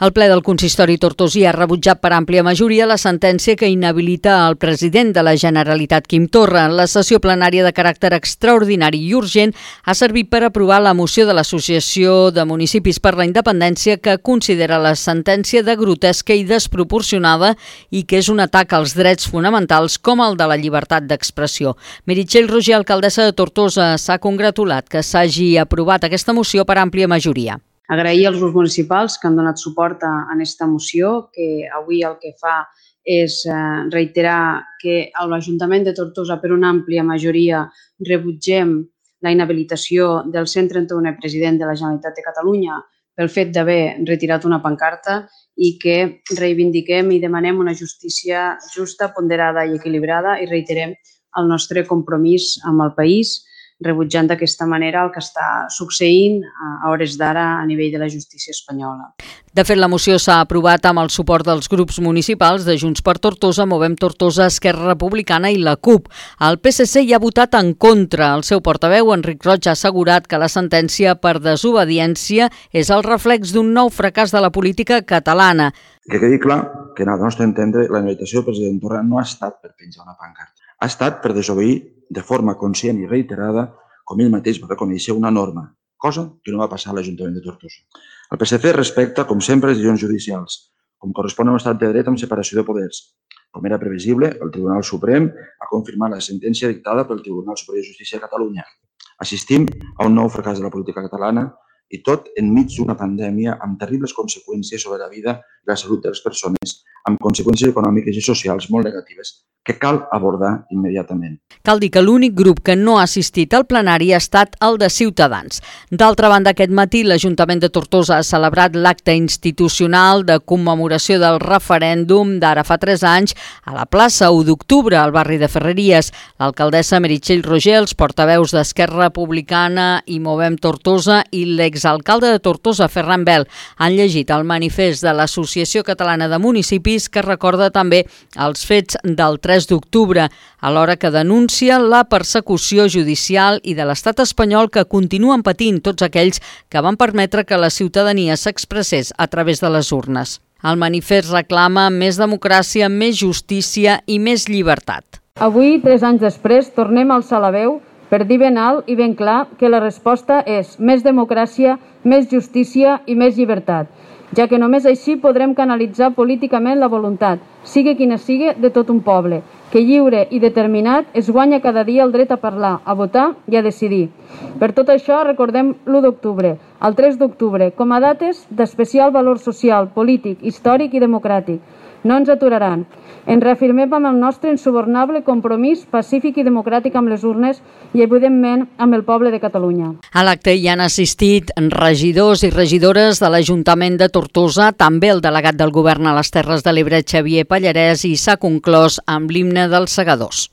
El ple del consistori tortosí ha rebutjat per àmplia majoria la sentència que inhabilita el president de la Generalitat, Quim Torra. La sessió plenària de caràcter extraordinari i urgent ha servit per aprovar la moció de l'Associació de Municipis per la Independència que considera la sentència de grotesca i desproporcionada i que és un atac als drets fonamentals com el de la llibertat d'expressió. Meritxell Roger, alcaldessa de Tortosa, s'ha congratulat que s'hagi aprovat aquesta moció per àmplia majoria. Agrair als grups municipals que han donat suport a aquesta moció, que avui el que fa és reiterar que a l'Ajuntament de Tortosa per una àmplia majoria rebutgem la inhabilitació del 131è president de la Generalitat de Catalunya pel fet d'haver retirat una pancarta i que reivindiquem i demanem una justícia justa, ponderada i equilibrada i reiterem el nostre compromís amb el país, rebutjant d'aquesta manera el que està succeint a hores d'ara a nivell de la justícia espanyola. De fet, la moció s'ha aprovat amb el suport dels grups municipals de Junts per Tortosa, Movem Tortosa, Esquerra Republicana i la CUP. El PSC hi ha votat en contra. El seu portaveu, Enric Roig, ha assegurat que la sentència per desobediència és el reflex d'un nou fracàs de la política catalana. Que quedi clar que, al nostre entendre, la inhabilitació del president Torra no ha estat per penjar una pancarta. Ha estat per desobeir de forma conscient i reiterada, com ell mateix va reconèixer, una norma, cosa que no va passar a l'Ajuntament de Tortosa. El PSC respecta, com sempre, les decisions judicials, com correspon a un estat de dret amb separació de poders. Com era previsible, el Tribunal Suprem ha confirmat la sentència dictada pel Tribunal Superior de Justícia de Catalunya. Assistim a un nou fracàs de la política catalana i tot enmig d'una pandèmia amb terribles conseqüències sobre la vida i la salut de les persones, amb conseqüències econòmiques i socials molt negatives que cal abordar immediatament. Cal dir que l'únic grup que no ha assistit al plenari ha estat el de Ciutadans. D'altra banda, aquest matí l'Ajuntament de Tortosa ha celebrat l'acte institucional de commemoració del referèndum d'ara fa 3 anys a la plaça 1 d'octubre, al barri de Ferreries. L'alcaldessa Meritxell Roger, els portaveus d'Esquerra Republicana i Movem Tortosa i l'exalcalde de Tortosa, Ferran Bel, han llegit el manifest de l'Associació Catalana de Municipis que recorda també els fets del 3 d'octubre, alhora que denuncia la persecució judicial i de l'estat espanyol que continuen patint tots aquells que van permetre que la ciutadania s'expressés a través de les urnes. El manifest reclama més democràcia, més justícia i més llibertat. Avui, 3 anys després, tornem a alçar la veu per dir ben alt i ben clar que la resposta és més democràcia, més justícia i més llibertat, ja que només així podrem canalitzar políticament la voluntat, sigui quina sigui, de tot un poble, que lliure i determinat es guanya cada dia el dret a parlar, a votar i a decidir. Per tot això recordem l'1 d'octubre, el 3 d'octubre, com a dates d'especial valor social, polític, històric i democràtic. No ens aturaran. Ens reafirmem amb el nostre insubornable compromís pacífic i democràtic amb les urnes i, evidentment, amb el poble de Catalunya. A l'acte hi han assistit regidors i regidores de l'Ajuntament de Tortosa, també el delegat del Govern a les Terres de l'Ebre, Xavier Pallarès, i s'ha conclòs amb l'himne dels Segadors.